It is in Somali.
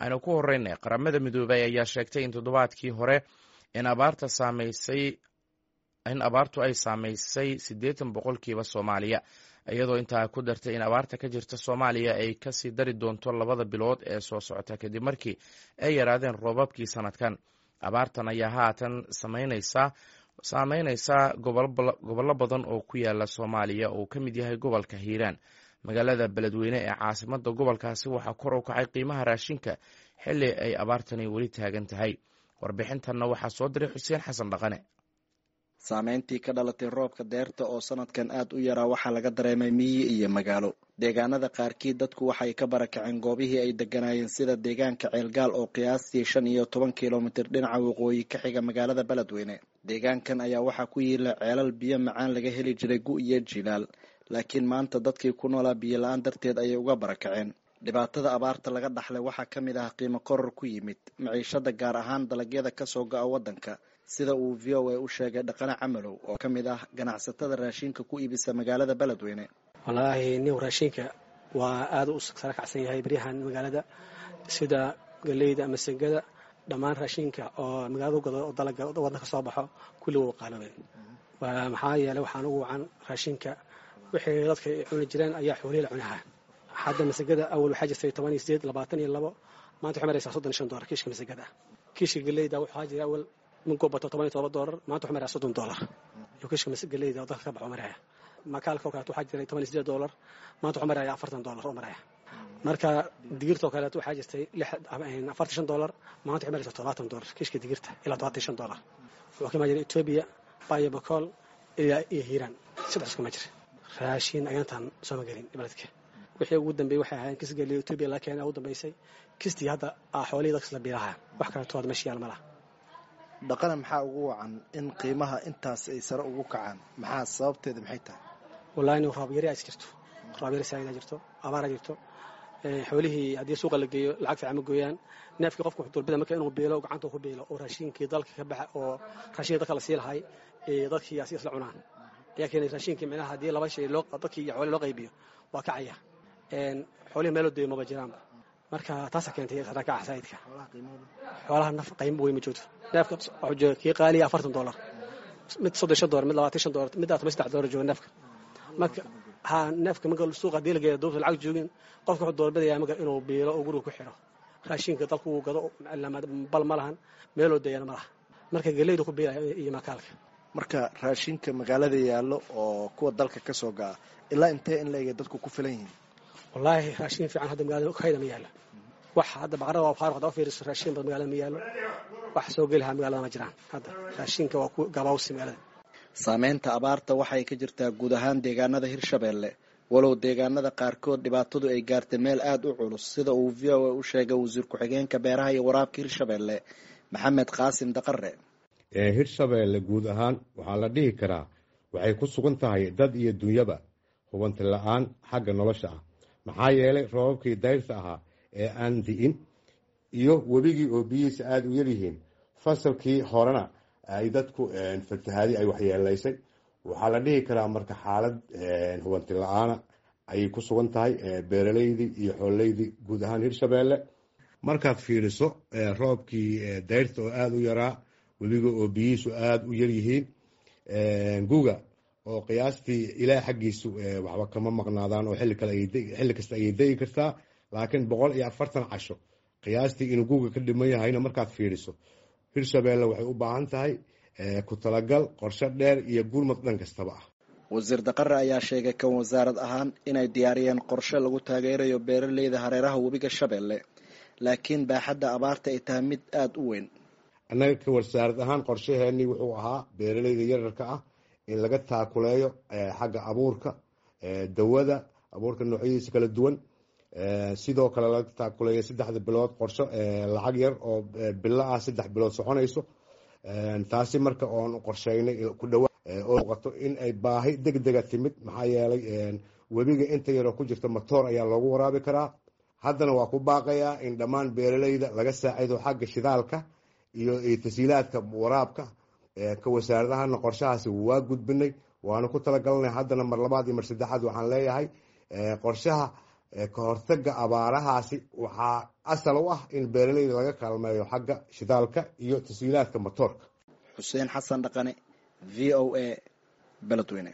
Aynu ku horeynay, Qaramada Midoobay ayaa sheegtay in toddobaadkii hore in abaarta saameysay in abaartu ay saameysay 80% Soomaaliya, iyadoo intaa ku dartay in abaarta ka jirta Soomaaliya ay kasii dari doonto 2da bilood ee soo socota, kadib markii ay yaraadeen roobabkii sanadkan. Abaartan ayaa haatan saameyneysa gobollo badan oo ku yaala Soomaaliya, oo ka mid yahay gobolka Hiiraan. Magaalada Beledweyne ee caasimada gobolkaasi waxaa kor u kacay qiimaha raashinka xilli ay abaartani weli taagan tahay. Warbixintanna waxaa soo diray Xuseen Xasan Dhaqane. Saameyntii ka dhalatay roobka deerta oo sanadkan aad u yaraa waxaa laga dareemay miyi iyo magaalo. Deegaanada qaarkii dadku waxay ka barakaceen goobihii ay deganaayeen, sida deegaanka Ceelgaal oo qiyaastii 15 kilomitir dhinaca waqooyi ka xiga magaalada Beledweyne. Deegaankan ayaa waxaa ku yiila ceelal biyo macaan laga heli jiray gu iyo jilaal, laakiin maanta dadkii ku noolaa biyo la-aan darteed ayay uga barakaceen. Dhibaatada abaarta laga dhaxlay waxaa ka mid ah qiimo koror ku yimid maciishada, gaar ahaan dalagyada kasoo go'a waddanka, sida uu VOA u sheegay Dhaqane Camalow oo ka mid ah ganacsatada raashinka ku iibisa magaalada Beledweyne. Wallaahi nin, raashinka waa aada u sara kacsan yahay baryahan magaalada, sida galeyda ama sangada, dhammaan raashinka oo magaalada u gado oo dalaga waddanka kasoo baxo kulli wuu qaaloobeen. Maxaa yeelay, waxaan ugu wacan raashinka wixii dadka ay cuni jireen ayaa xoolihii la cunahaa. Hadda masagada awal waxaa jirtay 18, 22, maanta waxay maraysaa $35 kiishka masagada. Kiishka galeyda waxaa jira awal minkuu bato $17, maanta waxay maraysaa $30 iyo kiishka galeyda oo dalka ka baxo maraya. Makaalka oo kaleeto waxaa jiray $18, maanta waxuu maraya $40 oo maraya. Marka digirta oo kaleeto waxaa jirtay $45, maanta waxay maraysaa $70 kiishka digirta, ilaa $75. Wuxuu ka imaan jiray Etoobiya, Bayo, Bakool ilaa iyo Hiiraan, saddex iskuma jira. Raashin ayaantan sooma gelin beledka. Wixii ugu dambeeyey waxay ahaayeen kis geliyo Etoobiya laga keenay ugu dambeysay, kistii hadda xoolihii dadkas la biilaha, wax kaleeto hadda meesha yaal ma laha. Dhaqana, maxaa ugu wacan in qiimaha intaas ay sare ugu kacaan? Maxaa sababteeda, maxay tahay? Wallahi in roob yari is jirto, roob yari saaida jirto, abaara jirto. Xoolihii haddii suuqa la geeyo lacag fiican ma gooyaan. Neefkii qofku wuxuu doorbida marka inuu biilo, gacanta ku biilo, oo raashinkii dalka ka baxa oo raashinkii dalka la sii lahay dadkii asi isla cunaan ayaa keenay raashinkii. Micnaha haddii laba shay loo dadkii iyo xoolihii loo qaybiyo waa kacaya. Xoolihii meeloo deeyo maba jiraanba, marka taasaa keentay sarakaca saa'idka. Xoolaha naf qiimo weyn ma joogto. Neefka wuxuu jooga kii qaaliya $40, mid $35, mid $25, mid $13 jooga neefka. Marka ha neefka marka suuqa haddii la geeyo duubta lacag joogin, qofka wuxuu doorbidayaa marka inuu biilo oo guriga ku xiro. Raashinka dalku uu gado bal ma lahan, meeloo deeyana ma laha, marka galeyda ku biilaya iyo makaalka. Marka raashinka magaalada yaallo oo kuwa dalka ka soo ga'a ilaa intee in la-ega dadku ku filan yihiin? Wallaahi raashin fiican hadda magaalada kayda ma yaalo. Wax hadda baqarada waa faaruq. Hadda fiiriso, raashin bad magaalada ma yaalo, wax soo geli lahaa magaalada ma jiraan. Hadda raashinka waa ku gabaawsi magaalada. Saameynta abaarta waxay ka jirtaa guud ahaan deegaanada Hirshabeelle, walow deegaanada qaarkood dhibaatadu ay gaartay meel aada u culus, sida uu VOA u sheegay wasiir ku-xigeenka beeraha iyo waraabka Hirshabeelle, Maxamed Qaasim Daqare. Hirshabeelle guud ahaan waxaa la dhihi karaa waxay ku sugan tahay dad iyo dunyaba hubanti la-aan xagga nolosha ah, maxaa yeelay roobabkii dayrta ahaa ee aan di'in iyo webigii oo biyihiisa aada u yaryihiin, fasalkii horena ay dadku fatahaadi ay waxyeelaysay. Waxaa la dhihi karaa marka xaalad hubanti la-aana ayay ku sugan tahay beeraleydii iyo xoololeydii guud ahaan Hirshabeelle. Markaad fiiriso roobkii dayrta oo aada u yaraa, webiga oo biyihiisu aada u yaryihiin, guga oo qiyaastii ilaah xaggiisu waxba kama maqnaadaan oo xilli kale xilli kasta ayay degi kartaa, laakiin 140 casho qiyaastii inuu guga ka dhiman yahayna markaad fiiriso, Hirshabeelle waxay u baahan tahay ku talagal, qorshe dheer iyo gurmad dhan kastaba ah. Wasiir Daqare ayaa sheegay kan wasaarad ahaan inay diyaariyeen qorshe lagu taageerayo beeraleyda hareeraha webiga Shabeelle, laakiin baaxadda abaarta ay tahay mid aada u weyn. Annaga ka wasaarad ahaan qorshaheenii wuxuu ahaa beeraleyda yararka ah in laga taakuleeyo xagga abuurka, dawada abuurka noocyadiisa kala duwan, sidoo kale laga taakuleeyo 3da bilood qorsho lacag yar oo bilo ah, 3 bilood soconayso. Taasi marka oon qorsheynay ku dhawa oo muuqato in ay baahi deg dega timid, maxaa yeelay webiga inta yaroo ku jirta matoor ayaa loogu waraabi karaa. Haddana waa ku baaqayaa in dhammaan beeraleyda laga saacido xagga shidaalka iyo tasiilaadka waraabka. Ka wasaaradahana qorshahaasi waa gudbinay, waana ku talagalnay. Haddana mar labaad iyo mar saddexaad waxaan leeyahay qorshaha Ka hortaga abaarahaasi waxaa asal u ah in beeraleyda laga kaalmeeyo xagga shidaalka iyo tashiilaadka matoorka. Xuseen Xasan Dhaqane, v o a, Beledweyne.